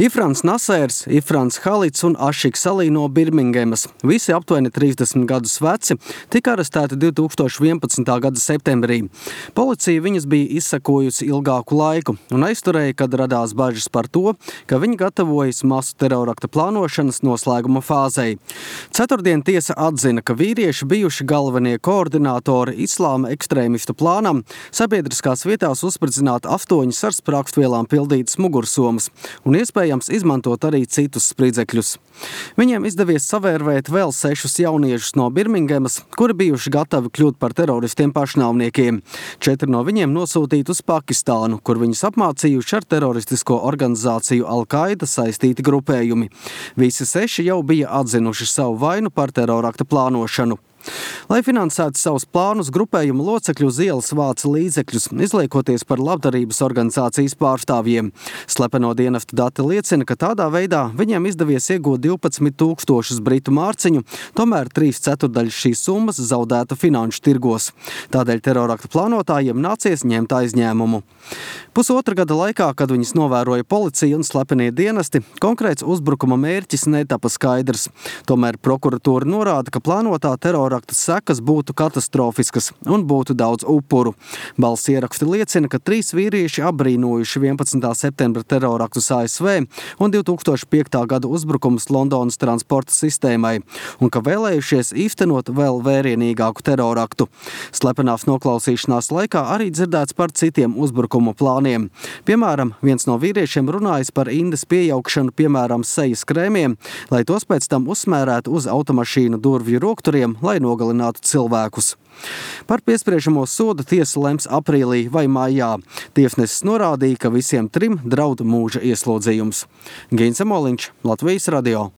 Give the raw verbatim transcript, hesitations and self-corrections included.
Ifrans Nasērs, Ifrans Halits un Ašiks Salī no Birmingemas, visi aptuveni trīsdesmit gadus veci, tika arestēti divi tūkstoši vienpadsmitā gada septembrī. Policija viņus bija izsekojusi ilgāku laiku un aizturēja, kad radās bažas par to, ka viņi gatavojas masu terorakta plānošanas noslēguma fāzei. Ceturtdien tiesa atzina, ka vīrieši bijuši galvenie koordinātori islāma ekstrēmistu plānam sabiedriskās vietās uzspridzināt astoņas ar sprākstvielām pildītas mugursomas un iespējams izmantot arī citus spridzekļus. Viņiem izdevies savērvēt vēl sešus jauniešus no Birmingemas, kuri bijuši gatavi kļūt par teroristiem pašnāvniekiem. Četri no viņiem nosūtīti uz Pakistānu, kur viņus apmācījuši ar teroristisko organizāciju Al-Qaida saistīti grupējumi. Visi seši jau bija atzinuši savu vainu par terorakta plānošanu. Lai finansētu savus plānus, grupējuma locekļu uz ielas vāca līdzekļus, izliekoties par labdarības organizācijas pārstāvjiem. Slepeno dienestu dati liecina, ka tādā veidā viņiem izdevies iegūt divpadsmit tūkstošus britu mārciņu, tomēr trīs ceturdaļas šīs summas zaudēta finanšu tirgos. Tādēļ terorakta plānotājiem nācies ņemt aizņēmumu. Pusotra gada laikā, kad viņus novēroja policija un slepenie dienesti, konkrēts uzbrukuma mērķis netapa skaidrs. Tomēr prokuratūra norāda, ka plānotā terorakta sekas būtu katastrofiskas un būtu daudz upuru. Balss ieraksti liecina, ka trīs vīrieši apbrīnojuši vienpadsmitā septembra teroraktus A S V un divi tūkstoši piektā gada uzbrukumus Londonas transporta sistēmai un ka vēlējušies īstenot vēl vērienīgāku teroraktu. Slepenās noklausīšanās laikā arī dzirdēts par citiem uzbrukumu plāniem. Piemēram, viens no vīriešiem runājas par indes piejaukšanu, piemēram, sejas krēmiem, lai tos pēc tam uzsmērētu uz automašīnu durvju rokturiem, lai nogalinātu cilvēkus. Par piespriežamo sodu tiesa lems aprīlī vai maijā. Tiesnesis norādīja, ka visiem trim draud mūža ieslodzījums. Gīns Emoliņš, Latvijas radio.